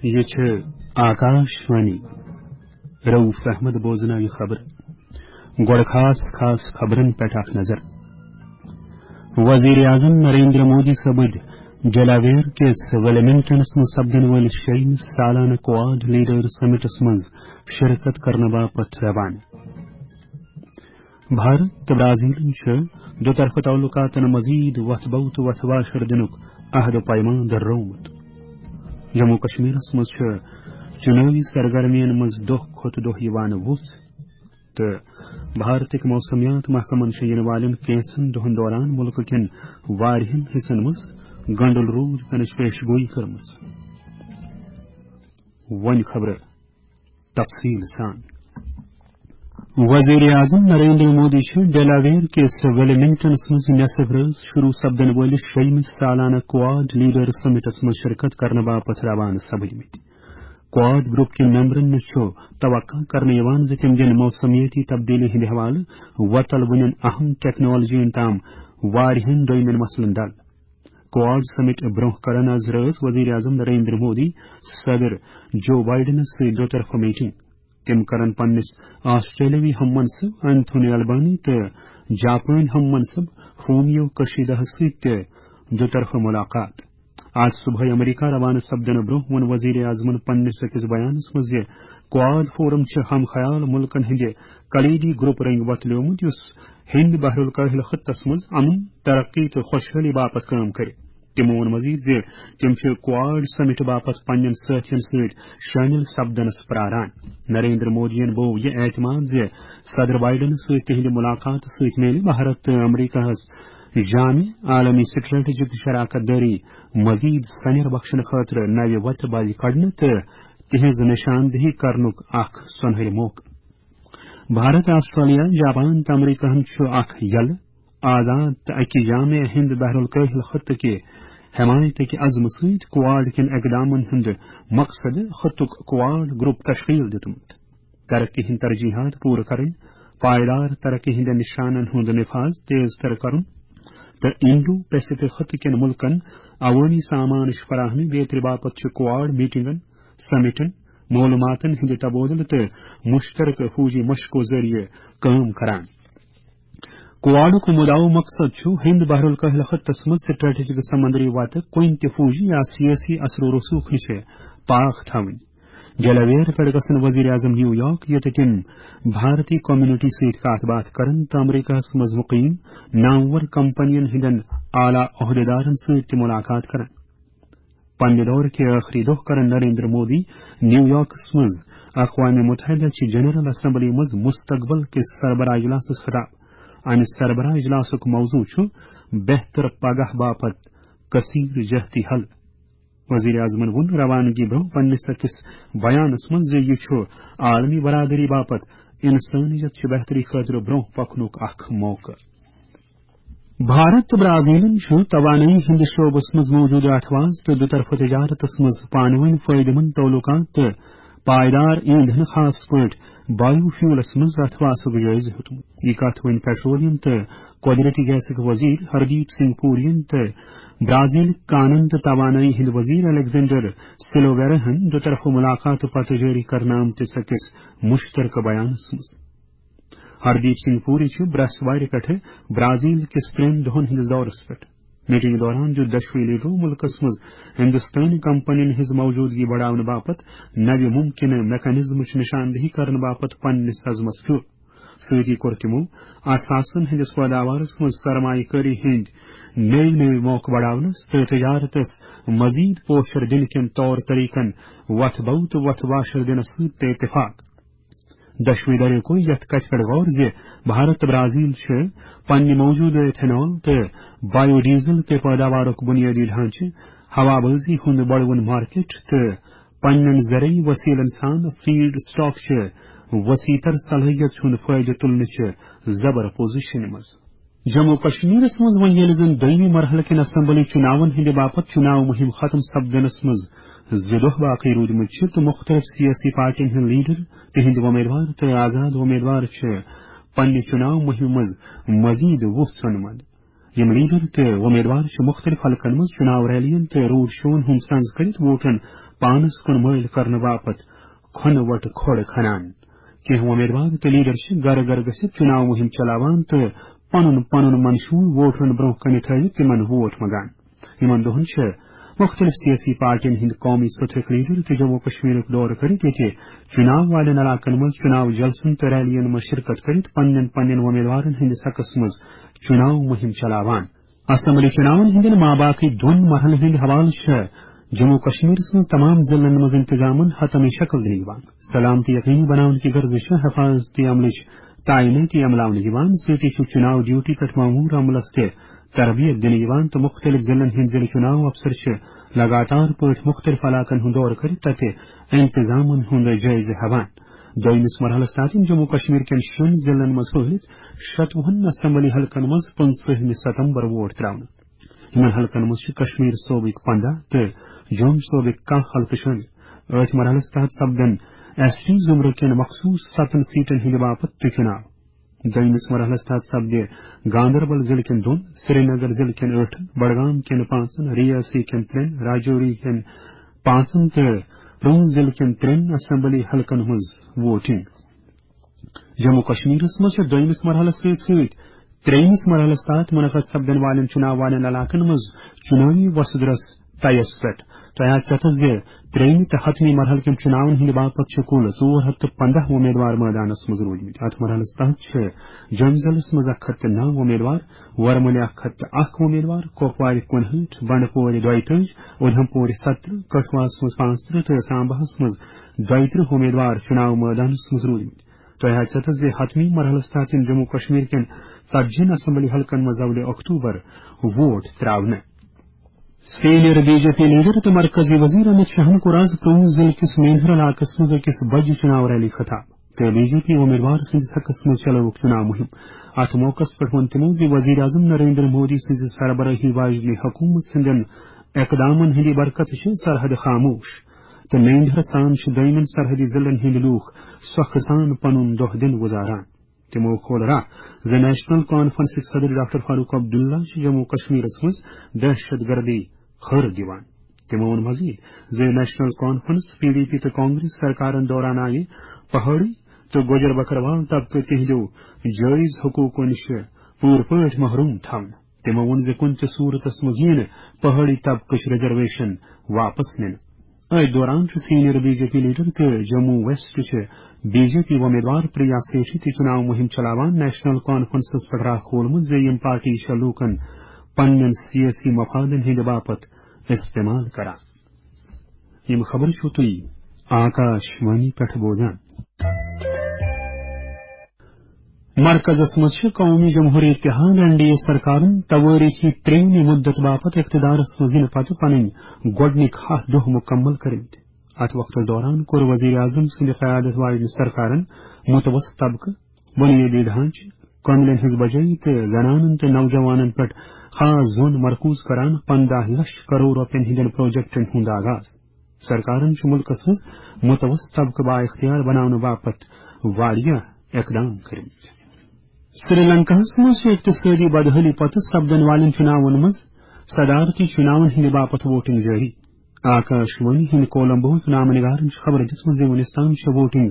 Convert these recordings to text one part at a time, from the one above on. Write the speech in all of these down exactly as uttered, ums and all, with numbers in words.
یہِ چھِ آکاش وانی۔ رؤف احمد بوزناوِ خبر۔ گۄڈٕ خاص خاص خبرن پٮ۪ٹھ اکھ نظر۔ وزیر اعظم نریندر مودی سپٕدۍ ڈیلاویر کِس ویلمنگٹنس منٛز سپدن وٲلِس شیٚیِمِس سالانہٕ کواڈ لیڈر سمٹس منٛز شرکت کرنہٕ باپتھ روانہٕ۔ بھارت تہٕ برازیلن چھُ دُطرفہٕ تعلقاتن مزید وتھ بو تہٕ وتھ واشر دِنُک عہد و پیمان دۄہرومُت۔ جموں کشمیرس منٛز چھُ چُنٲوی سرگرمیَن منٛز دۄہ کھۄتہٕ دۄہ یِوان وُژھ، تہٕ بھارتٕکۍ موسمیات محکمن چھِ یِنہٕ والٮ۪ن کینٛژن دۄہن دوران مُلکہٕ کٮ۪ن واریاہن حصن منٛز گنڈل روٗد پینٕچ پیش گویی کٔرمٕژ۔ وۄنۍ خبرٕ تفصیل سان۔ وزیر اعظم نریندر مودی چھِ ڈیلاویر کِس ویلمنگٹنس منٛز نصف رٲژ شروع سپدن وٲلِس شیٚیِمِس سالانہٕ کواڈ لیڈر سمٹس منٛز شرکت کرنہٕ باپتھ روانہٕ سپدمٕتۍ۔ کواڈ گروپ کٮ۪ن ممبرن نِش چھُ توقع کرنہٕ یِوان زِ تِم دِن موسمیٲتی تبدیلی ہٕنٛدِ حوالہٕ وۄتل وُنٮ۪ن اہم ٹیکنالوجین تام واریاہن دویمٮ۪ن مسلن دل۔ کواڈ سمٹ برونٛہہ کرن از رٲژ وزیر اعظم نریندر مودی صدر جو بائیڈنس سۭتۍ دو طرفہٕ میٹنگ۔ تِم کرن پننِس آسٹریلوی ہم منصب انتھونی البانی تہٕ جاپٲنۍ ہم منصب فومیو کشیدہ سۭتۍ تہِ دو طرفہٕ ملاقات۔ آز صبحٲے امریکہ روانہٕ سپدنہٕ برونٛہہ ووٚن وزیر اعظمن پننِس أکِس بیانس منٛز زِ کواڈ فورم چھِ ہم خیال ملکن ہٕنٛدِ کلیدی گروپ رنگۍ وۄتلیومُت، یُس ہند بحر الکاہل خطس منٛز امن، ترقی تہٕ خۄشحٲلی باپتھ کٲم کرِ۔ تِمو ووٚن مزید زِ تِم چھِ کواڈ سمٹ باپتھ پننٮ۪ن سٲتھین سۭتۍ شٲمِل سپدنس پراران۔ نریندر مودیَن بوو یہِ اعتماد زِ صدر بائیڈن سۭتۍ تِہنٛدِ ملاقاتہٕ سۭتۍ میلہِ بھارت تہٕ امریکہس جامع عالمی سٹریٹجک شراکت دٲری مزید سنیر بخشنہٕ خٲطرٕ نوِ وتہِ بلہِ کڑنہٕ تہٕ تِہنٛز نشاندہی کرنُک اکھ سۄنہرِ موقعہٕ۔ بھارت، آسٹریلیا، جاپان تہٕ امریکہن چھُ اکھ یلہٕ، آزاد تہٕ اکہِ جامع ہند بحر الکاہل خطہٕ کہِ حمایتٕکہِ عزمہٕ سۭتۍ کواڈ کٮ۪ن اقدامن ہُنٛد مقصد خطُک کواڈ گروپ تشکیل دیُتمُت۔ ترقی ہٕنٛدۍ ترجیحات پوٗرٕ کرٕنۍ، پائیدار ترقی ہٕنٛدٮ۪ن نشانن ہُنٛد نفاذ تیز تر کرُن تہٕ انڈو پیسفک خطہٕ کٮ۪ن ملکن عوٲمی سامانٕچ فراہمی بیترِ باپتھ چھِ کواڈ میٹنگن، سمٹن، معلوماتن ہٕنٛدِ تبادلہٕ تہٕ مشترکہٕ فوجی مشقو ذٔریعہٕ کٲم کران۔ کواڈُک مدعا و مقصد چھُ ہند بحر الکاہل خطس منٛز سٹریٹجک سمندری وتہٕ کُنہِ تہِ فوجی یا سیٲسی اثر و رسوخ نِش پاک تھاوٕنۍ۔ ڈیلاویر پٮ۪ٹھ گژھن وزیر اعظم نیویارک، ییٚتہِ تِم بھارتی کمیونٹی سۭتۍ کتھ باتھ کرن تہٕ امریکہس منٛز مقیم نامور کمپنین ہٕنٛدٮ۪ن اعلیٰ عہدیدارن سۭتۍ تہِ ملاقات کرن۔ پننہِ دورٕ کہِ ٲخری دۄہ کرن نریندر مودی نیویارکس منٛز اقوام متحدہ چہِ جنرل اسمبلی منٛز مستقبل کِس سربراہ اجلاسس خطاب۔ امہِ سربراہ اجلاسُک موضوع چھُ بہتر پگاہ باپتھ کثیر جہتی حل۔ وزیر اعظمن ووٚن روانگی برونٛہہ پننِس أکِس بیانس منٛز زِ یہِ چھُ عالمی برادری باپتھ انسانیت چہِ بہتری خٲطرٕ برونٛہہ پکنُک اکھ موقعہٕ۔ بھارت تہٕ برازیلن چھُ توانٲیی ہٕنٛدِس شعبس منٛز موجودٕ اتھواز تہٕ دُطرفہٕ تجارتس منٛز پانہٕ ؤنۍ فٲیدٕ مند تعلقات تہٕ پائیدار ایندھن، خاص پٲٹھۍ بایو فیولس منٛز اتھوازُک جٲیزٕ ہیوٚتمُت۔ یہِ کتھ وۄنۍ پیٹرولیم تہٕ قۄدرٔتی گیسٕکۍ وزیر ہردیپ سنگھ پوریَن تہٕ برازیلٕکۍ کانن تہٕ توانٲیی ہٕنٛدۍ وزیر الیگزینڈر سلوویراہن دُطرفہٕ ملاقاتہٕ پتہٕ جٲری کرنہٕ آمتِس أکِس مشترکہٕ بیانس منٛز۔ ہردیپ سنگھ پوری چھُ برٛٮ۪سوارِ پٮ۪ٹھٕ برازیل کِس ترٛٮ۪ن دۄہَن ہٕنٛدِس دورَس پٮ۪ٹھ۔ میٹنگ دوران دیُت دۄشوٕے لیڈرو مُلکَس منٛز ہندوستٲنۍ کمپنین ہٕنٛز موجودگی بڑاونہٕ باپتھ نوِ ممکنہٕ میکانزمٕچ نشاندہی کرنہٕ باپتھ پننِس عزمَس پھیُر۔ سۭتی کوٚر تِمَو اثاثن ہٕنٛدِس پٲداوارَس منٛز سرمایہ کٲری ہٕنٛدۍ نٔوۍ نٔوۍ موقعہٕ بڑاونَس تہٕ تجارتَس مزید پوشر دِنہٕ کٮ۪ن طور طریقن وتھ بو تہٕ وتھ واشر دِنَس سۭتۍ تہِ اتفاق۔ دۄشوٕے دۄشوٕے کوٚر یَتھ کَتھِ پٮ۪ٹھ غور زِ بھارت تہٕ برازیل چھِ پننہِ موجودٕ ایتھنال تہٕ بایو ڈیزل کہِ پٲداوارُک بنیٲدی ڈھانچہٕ، ہوابازی ہُنٛد بڑوُن مارکیٹ تہٕ پننٮ۪ن زرعی وسیلن سان فیڈ سٹاک چہِ وسیع تر صلٲحیت ہُنٛد فٲیدٕ تُلنہٕ چہِ زبر پوزیشن منٛز۔ جموں و کشمیرس منٛز وۄنۍ ییٚلہِ زن دوٚیمہِ مرحلہٕ کٮ۪ن اسمبلی چُناون ہٕنٛدِ باپتھ چُناو مُہِم ختم سپدنس منٛز زٕ دۄہ باقٕے روٗدمٕتۍ چھِ تہٕ مُختٔلِف سیٲسی پارٹین ہٕنٛدۍ لیڈر، تِہنٛدۍ وۄمیدوار تہٕ آزاد وۄمیدوار چھِ پننہِ چُناو مُہِمہِ منٛز مزید وُژھ ژھٲنمٕژ۔ یِم لیڈر تہٕ وۄمیدوار چھِ مُختٔلِف حلقن منٛز چُناو ریلین تہٕ روڈ شوون ہُنٛد سنز کٔرِتھ ووٹن پانس کُن مٲیِل کرنہٕ باپتھ کھۄنہٕ وۄٹہٕ کھۄڑ کھنان۔ کینٛہہ وۄمیدوار تہٕ لیڈر چھِ گرٕ گرٕ گٔژھِتھ چُناو مُہِم چلاوان تہٕ پنُن پنُن منشور ووٹرن برونٛہہ کنہِ تھٲوِتھ تِمن ووٹ منگان۔ یِمن دۄہن چھِ مُختٔلِف سیٲسی پارٹین ہٕنٛدۍ قومی سطحٕکۍ لیڈر تہِ جموں کشمیرُک دورٕ کٔرِتھ ییٚتہِ چُناو والٮ۪ن علاقن منٛز چُناو جلسن تہٕ ریلین منٛز شرکت کٔرِتھ پننٮ۪ن پننٮ۪ن وۄمیدوارن ہٕنٛدِس حقس منٛز چُناو مُہِم چلاوان۔ اسمبلی چُناون ہٕنٛدٮ۪ن ماباقی دۄن مرحلن ہٕنٛدِ حوالہٕ چھِ جموں کشمیرس منٛز تمام ضلعن منٛز انتظامن حتمی شکل دِنہٕ یِوان۔ سلامتی یقینی بناونہٕ کہِ غرضہٕ چھِ حفاظتی عملٕچ تعینٲتی عملاونہٕ یِوان، سۭتی چھُ چُناو ڈیوٹی پٮ۪ٹھ مامور عملس تہِ تربیت دِنہٕ یِوان تہٕ مُختٔلِف ضلعن ہٕنٛدۍ ضلعہٕ چُناو افسر چھِ لگاتار پٲٹھۍ مُختٔلِف علاقن ہُنٛد دورٕ کٔرِتھ تتہِ انتظامن ہُنٛد جٲیزٕ ہٮ۪وان۔ دوٚیمِس مرحلس تحت یِم جموں کشمیر کٮ۪ن شیٚن ضلعن منٛز پھٔہلِتھ شتوُہن اسمبلی حلقن منٛز پٕنٛژٕہمہِ ستمبر ووٹ ترٛاونہٕ۔ یِمن حلقن منٛز چھِ کشمیر صوبٕکۍ پنٛداہ تہٕ جوٚم صوبٕکۍ کاہ حلقہٕ شٲمِل۔ أتھۍ مرحلس تحت سپدن ایس ٹی زمرٕ کٮ۪ن مخصوص ستن سیٹن ہٕنٛدِ باپتھ تہِ چُناو۔ دوٚیمِس مرحلس تحت سپدِ گاندربل ضلعہٕ کٮ۪ن دۄن، سرینگر ضلعہٕ کٮ۪ن ٲٹھن، بڈگام کٮ۪ن پانٛژن، ریاسی کٮ۪ن ترٛٮ۪ن، راجوری کٮ۪ن پانٛژن تہٕ پُنٛچھ ضلعہٕ کٮ۪ن ترٛٮ۪ن اسمبلی حلقن ہٕنٛز ووٹنگ۔ جموں کشمیرس منٛز چھِ دوٚیمِس مرحلس سۭتۍ سۭتۍ ترٛیٚیمِس مرحلس تحت منعقد سپدن والٮ۪ن چُناو والٮ۪ن علاقن منٛز چُناوی وۄسہٕ درس طیس پٮ۪ٹھ۔ تۄہہِ آسہِ ژےٚ تہٕ زِ ترٛیٚیمہِ تہٕ حتمی مرحلہٕ کٮ۪ن چُناون ہٕنٛدِ باپتھ چھِ کُل ژور ہتھ تہٕ پنٛداہ وۄمیدوار مٲدانس منٛز روٗدمٕتۍ۔ اتھ مرحلس تحت چھِ جوٚم ضلعس منٛز اکھ ہتھ تہٕ نو وۄمیدوار، ورمُلہِ اکھ ہتھ تہٕ اکھ وۄمیدوار، کۄپوارِ کُنہٲٹھ، بنڈپورِ دۄیہِ تٲجۍ، اُدھمپورِ ستترٕہ، کٹھوعس منٛز پانٛژترٕہ تہٕ سامباہس منٛز دۄیترٕہ وۄمیدوار چُناو مٲدانس منٛز روٗدمٕتۍ۔ تۄہہِ آسہِ ژےٚ تہٕ زِ حتمی مرحلس تحت یِن جموں کشمیر کٮ۪ن ژتجی ہن اسمبلی حلقن منٛز اولِ اکتوبر ووٹ ترٛاونہٕ۔ Senior B J P leader تہٕ مرکزی وزیر امت شاہن کوٚر آز پُلوامہ ضلعہٕ کِس مینہر علاقس منٛز أکِس بجہِ چُناو ریلی خطاب تہٕ بی جے پی وۄمیدوار سٕنٛدِس حقس منٛز چلٲوٕکھ چُناو مُہِم۔ اتھ موقعس پٮ۪ٹھ ووٚن تِمو زِ وزیر اعظم نریندر مودی سٕنٛزِ سربرٲہی واجنہِ حکوٗمت ہٕنٛدٮ۪ن اقدامن ہٕنٛدِ برکتہٕ چھِ سرحد خاموش تہٕ مینہر سان چھِ دوٚیمٮ۪ن سرحدی ضلعن ہٕنٛدۍ لوٗکھ سۄکھٕ سان پنُن دۄہ دِن گُزاران۔ تِمو کھول راہ زِ نیشنل کانفرنسٕکۍ صدر ڈاکٹر فاروق عبداللہ چھِ جموں کشمیرس منٛز دہشت گردی خٲر دِوان۔ تِمو ووٚن مزید زِ national conference, P D P تہٕ کانگریس سرکارن دوران آیہِ پہاڑی تہٕ گوجر بکروال طبقہٕ تِہنٛدیو جٲیز حقوقو نِش پوٗرٕ پٲٹھۍ محروم تھاونہٕ۔ تِمو ووٚن زِ کُنہِ تہِ صوٗرتس منٛز یِیہِ نہٕ پہاڑی طبقٕچ ریزرویشن واپس نِنہٕ۔ أتھۍ دوران چھُ senior B J P leader تہٕ جموں ویسٹ چہِ بی جے پی وۄمیدوار پریا سیٹھی تہِ چُناو مُہِم چلاوان۔ نیشنل کانفرنسس پٮ۪ٹھ راہ کھولمُت زِ یِم پارٹی چھےٚ لوٗکن پننٮ۪ن سیٲسی مفادن ہٕنٛدِ باپتھ استعمال کران۔ یِم خبرٕ چھِو تُہۍ آکاش وانی پٮ۪ٹھ بوزان۔ مرکزس منٛز چھِ قومی جمہوری اتحاد، این ڈی اے، سرکارن توٲریخی ترٛیٚیمہِ مدت باپتھ اقتدارس منٛز یِنہٕ پتہٕ پنٕنۍ گۄڈٕنِکۍ ہَتھ دۄہ مُکمل کٔرمٕتۍ۔ اتھ وقتس دوران کوٚر وزیر اعظم سٕنٛدِ قیادت واجنہِ سرکارن متوسط طبقہٕ، بنیٲدی ڈھانچہٕ، کاملین ہٕنٛز بجٲیی تہٕ زنانن تہٕ نوجوانن پٮ۪ٹھ خاص زون مرکوز کران پنٛداہ لچھ کرور رۄپین ہٕنٛدٮ۪ن پروجیکٹن ہُنٛد آغاز۔ سرکارن چھُ مُلکس منٛز متوسط طبقہٕ بااختیار بناونہٕ باپتھ واریاہ اقدام کٔرمٕتۍ۔ سری لنکاہس منٛز چھِ اقتصٲدی بدحٲلی پتہٕ سپدن والٮ۪ن چُناون منٛز صدارتی چُناون ہٕنٛدِ باپتھ ووٹنگ جٲری۔ آکاش وانی ہٕنٛدۍ کولمبوہٕکۍ نامہٕ نگارن چھِ خبر دِژمٕژ زِ وُنیُس تام چھِ ووٹنگ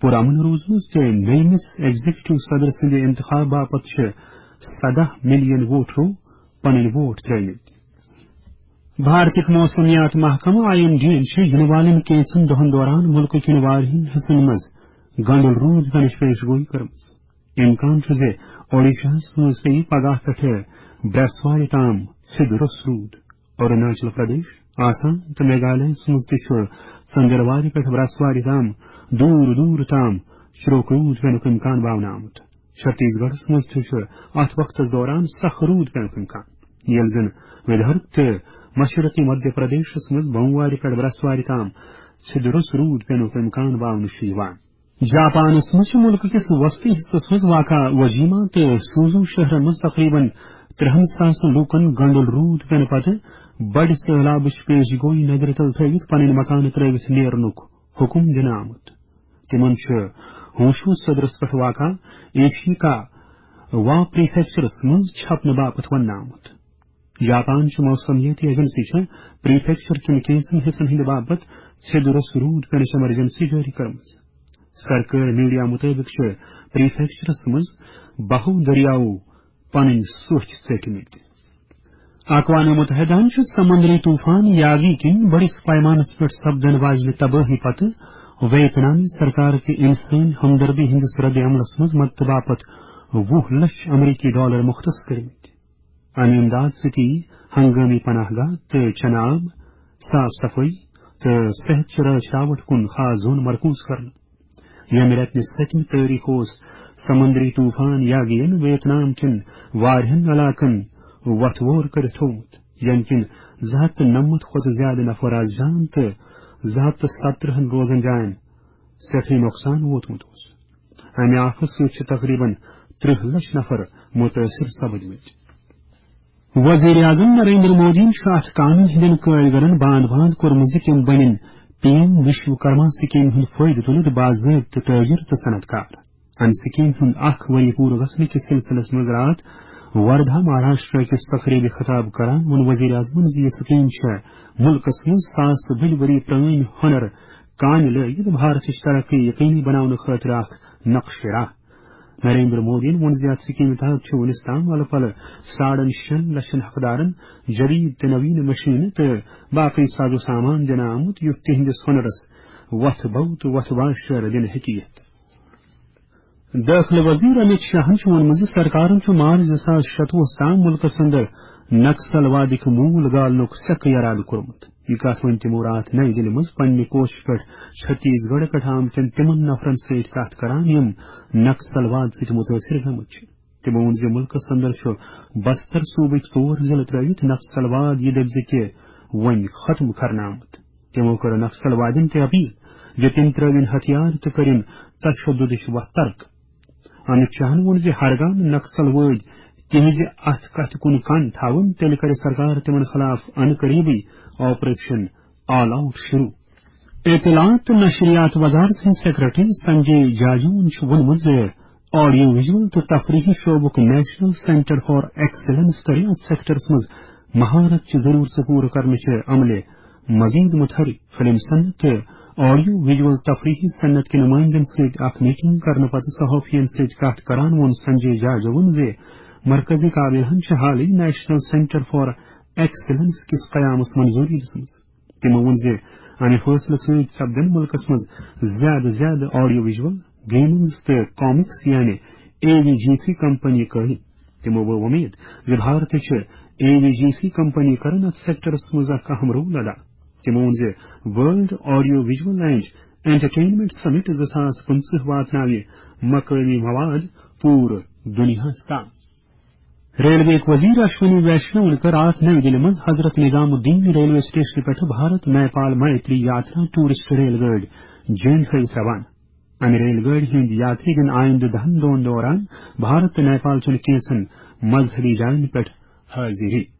پُرامن روٗزمٕژ تہٕ نٔیمِس ایگزیکٹو صدر سٕنٛدِ انتخاب باپتھ چھِ سداہ ملین ووٹرو پنٕنۍ ووٹ ترٲومٕتۍ۔ بھارتٕکۍ موسمیات محکمہٕ، آئی ایم ڈی یَن چھِ یِنہٕ والٮ۪ن کینٛژن دۄہَن دوران مُلکٕکٮ۪ن واریاہَن حصن منٛز گنڈل روٗد پٮ۪نٕچ پیش گویی کٔرمٕژ۔ امکان چھُ زِ اوڈیشاہَس منٛز پیٚیہِ پگاہ پٮ۪ٹھٕ برٛٮ۪سوارِ تام سیٚدِ روٚس روٗد۔ اروناچل پردیش، آسام تہٕ میگھالیہَس منٛز تہِ چھُ ژٔنٛدٕروارِ پٮ۪ٹھٕ برٛٮ۪سوارِ تام دوٗر دوٗر تام شرٛوک روٗد پٮ۪نُک امکان باونہٕ آمُت۔ چھتیس گڑھس منٛز تہِ چھُ اتھ وقتس دوران سخ روٗد پینُک امکان، ییٚلہِ زن ودربھ تہٕ مشرقی مدھیہ پردیشس منٛز بوموارِ پٮ۪ٹھ برٛسوارِ تام سیٚدِ روٚس روٗد پینُک امکان باونہٕ چھُ یِوان۔ جاپانس منٛز چھُ مُلکہٕ کِس وسطی حصس منٛز واقع وجیما تہٕ سوزو شہرن منٛز تقریباً ترٛہن ساسن لوٗکن گنڈل روٗد پینہٕ پتہٕ بڑِ سٔہلابٕچ پیش گویی نظرِ تل تھٲوِتھ پنٕنۍ مکانہٕ ترٲوِتھ نیرنُک حُکم دِنہٕ آمُت۔ تِمن چھُ ہوشو صدرس پٮ۪ٹھ واقع ایشیکا وا پریفیکچرس منٛز چھپنہٕ باپتھ وننہٕ آمُت۔ جاپان چہِ موسمیٲتی ایجنسی چھےٚ پریفیکچر کٮ۪ن کینٛژن حصن ہٕنٛدِ باپتھ سیٚدِ روٚس روٗد پینٕچ ایمرجنسی جٲری کٔرمٕژ۔ سرکٲرۍ میڈیا مُطٲبِق چھِ پریفیکچرس منٛز بہو دٔریاوو پنٕنۍ سوچھ ژٔٹمٕتۍ۔ اقوام متحدہن چھُ سمندری طوفان یاگی کِنۍ بٔڑِس پیمانس پٮ۪ٹھ سپدن واجنہِ تبٲہی پتہٕ ویتنامی سرکار کہِ انسٲنی ہمدردی ہٕنٛدِس رد عملس منٛز مدتہٕ باپتھ وُہ لچھ امریکی ڈالر مختص کٔرمٕتۍ۔ امہِ امداد سۭتۍ یِیہِ ہنگٲمی پناہ گاہ تہٕ چنہٕ آب، صاف صفٲیی تہٕ صحت چہِ رٲچھ راوٹھ کُن خاص زون مرکوز کرنہٕ۔ ییٚمہِ رٮ۪تہٕ نہِ سٔتمہِ تٲریخ اوس سمندری طوفان یاگین ویتنام کٮ۪ن واریاہن علاقن وتھ وور کٔرِتھ تھوومُت، ییٚمہِ کِنۍ زٕ ہتھ تہٕ نَمَتھ کھۄتہٕ زیادٕ نفر از جان تہٕ زٕ ہتھ تہٕ ستترٕہن روزن جاین سٮ۪ٹھٕے نۄقصان ووتمُت اوس۔ امہِ آفہٕ سۭتۍ چھِ تقریباً ترٕہ لچھ نفر متٲثر سپدمٕتۍ۔ وزیر اعظم نریندر مودیَن چھُ اتھ قانون ہٕنٛدٮ۪ن کٲرۍگرن باند باند کوٚرمُت زِ تِم بنن پی ایم وشوکرما سکیمہِ ہُنٛد فٲیدٕ تُلِتھ باضٲبطہٕ تٲجر تہٕ صنعت کار۔ امہِ سکیمہِ ہُنٛد اکھ ؤری پوٗرٕ گژھنہٕ کِس سلسلس منٛز راتھ وردھا مہاراشٹرا کِس تقریبہِ خطاب کران ووٚن وزیر اعظمن زِ یہِ سکیٖم چھےٚ مُلکس منٛز ساسہٕ بٔدۍ ؤری پرٲنۍ ہُنر کامہِ لٲگِتھ بھارتٕچ ترقی یقینی بناونہٕ خٲطرٕ اکھ نقشہِ راہ۔ نریندر مودیَن ووٚن زِ یَتھ سکیمہِ تحت چھُ وُنِس تام ولہٕ پلہٕ ساڑن شٮ۪ن لچھن حقدارن جدید تہٕ نوین مشینہٕ تہٕ باقی ساز و سامان دِنہٕ آمُت، یُتھ تِہنٛدِس ہُنرس وتھ بو تہٕ وتھ واشر دِنہٕ ہیٚکہِ یِتھ۔ دٲخلہٕ وزیر امیت شاہن چھُ ووٚنمُت زِ سرکارن چھُ مارچ زٕ ساس شتوُہس تام مُلکس اندر نکسل وادٕکۍ موٗل گالنُک سٮ۪کھ یرادٕ کوٚرمُت۔ یہِ کتھ ؤنۍ تِمو راتھ نَیہِ دِلہِ منٛز پننہِ کوشہِ پٮ۪ٹھ چھتیس گڑھ پٮ۪ٹھ آمتٮ۪ن تِمن نفرن سۭتۍ کتھ کران، یِم نکسل واد سۭتۍ مُتٲثر گٔمٕتۍ چھِ۔ تِمو ووٚن زِ مُلکس اندر چھُ بستر صوبٕکۍ ژور ضلعہٕ ترٲوِتھ نکسل واد یہِ دٔپۍ زِ تہِ وۄنۍ ختم کرنہٕ آمُت۔ تِمو کٔر نکسل وادن تہِ اپیل زِ تِم ترٲوِن ہتھیار تہٕ کٔرِن تشددٕچ وتھ ترک۔ امت شاہن ووٚن زِ ہرگاہ نہٕ نکسل وٲدۍ تِہنزِ اتھ کتھِ کُن کن تھاوُن، تیٚلہِ کرِ سرکار تِمن خلاف انہٕ قریبٕے آپریشن آل آؤٹ شروع۔ اطلاعات تہٕ نشریات وزارت سٕنٛدۍ سیکرٹری سنجے جاجوَن چھُ ووٚنمُت زِ آڈیو ویژول تہٕ تفریحی شعبُک نیشنل سینٹر فار ایکسیلنس کَرِ اَتھ سیکٹرس منٛز مہارت چہِ ضروٗرتہٕ پوٗرٕ کرنہٕ چہِ عملہِ مزید متحرک۔ فلم صنعت تہٕ آڈیو ویژول تفریحی صنعت کہِ نمائندن سۭتۍ اکھ میٹنگ کرنہٕ پتہٕ صحافین سۭتۍ کتھ کران ووٚن سنجے جاجوَن زِ مرکزی کابینہن چھِ حالٕے نیشنل سینٹر فار ایکسیلنس کِس قیامس منظوری دِژمٕژ۔ تِمو ووٚن زِ امہِ فٲصلہٕ سۭتۍ سپدن مُلکس منٛز زیادٕ زیادٕ آڈیو ویژول، گیمنگز تہٕ کامکس یعنی A V G C company قٲیِم۔ تِمو ؤو وۄمید زِ بھارتٕچہِ A V G C company کرن اتھ سیکٹرس منٛز اکھ اہم رول ادا۔ تِمو ووٚن زِ world audio visual and entertainment summit زٕ ساس پٕنٛژٕہ واتناوِ مقٲمی مواد پوٗرٕ دُنیاہس تام۔ ریلوے وزیر اشونی ویشنون کٔر راتھ نئی دِلہِ منٛز حضرت نظام الدین ریلوے سٹیشن پٮ۪ٹھ بھارت نیپال میتری یاترا ٹورسٹ ریل گٲڑۍ جینڈ ہٲوِتھ روانہٕ۔ امہِ ریل گٲڑۍ ہٕنٛدۍ یاتری دِن آیندٕ دہن دۄہن دوران بھارت تہٕ نیپال چٮ۪ن کینٛژن مذہبی جاین پٮ۪ٹھ حٲضری۔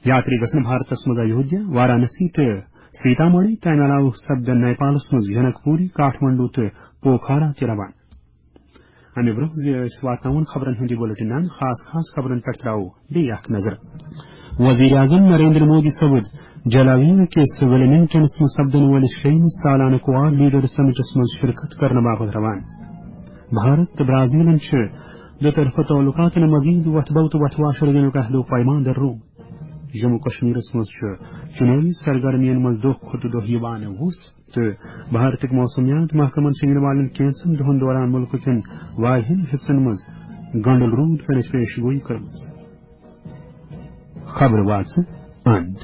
یاتری گژھن بھارتس منٛز ایودھیا، وارانسی تہٕ سیتامڑھی، تمہِ علاوٕ سپدن نیپالس منٛز جنک پوری، کاٹھمنڈو تہٕ پوکھارا تہِ روانہٕ۔ امہِ برونٛہہ زِ أسۍ واتناوون خبرن ہُنٛد یہِ بُلٹن، خاص خاص خبرن پٮ۪ٹھ ترٛاوو بیٚیہِ اکھ نظر۔ وزیر اعظم نریندر مودی سپُد جلاویو کِس ویلمنگٹنس منٛز سپدن وٲلِس شیٚیِمِس سالانہٕ کواڈ لیڈر سمٹس منٛز شرکت کرنہٕ باپتھ روانہٕ۔ بھارت تہٕ برازیلن چھِ دو طرفہٕ تعلقاتن مزید وۄتھٕ بو تہٕ وۄتھٕ واشر دِنُک عہد و پیمان درٛومُت۔ جموں کشمیرس منٛز چھُ چُنٲوی سرگرمین منٛز دۄہ کھۄتہٕ دۄہ یِوان وُس تہٕ بھارتٕکۍ موسمیات محکمن چھِ یِنہٕ والٮ۪ن کینٛژن دۄہن دوران مُلکہٕ کٮ۪ن واریاہن حصن منٛز گنڈل روٗد پینٕچ پیش گویی کٔرمٕژ۔ خبرٕ واژٕ اند۔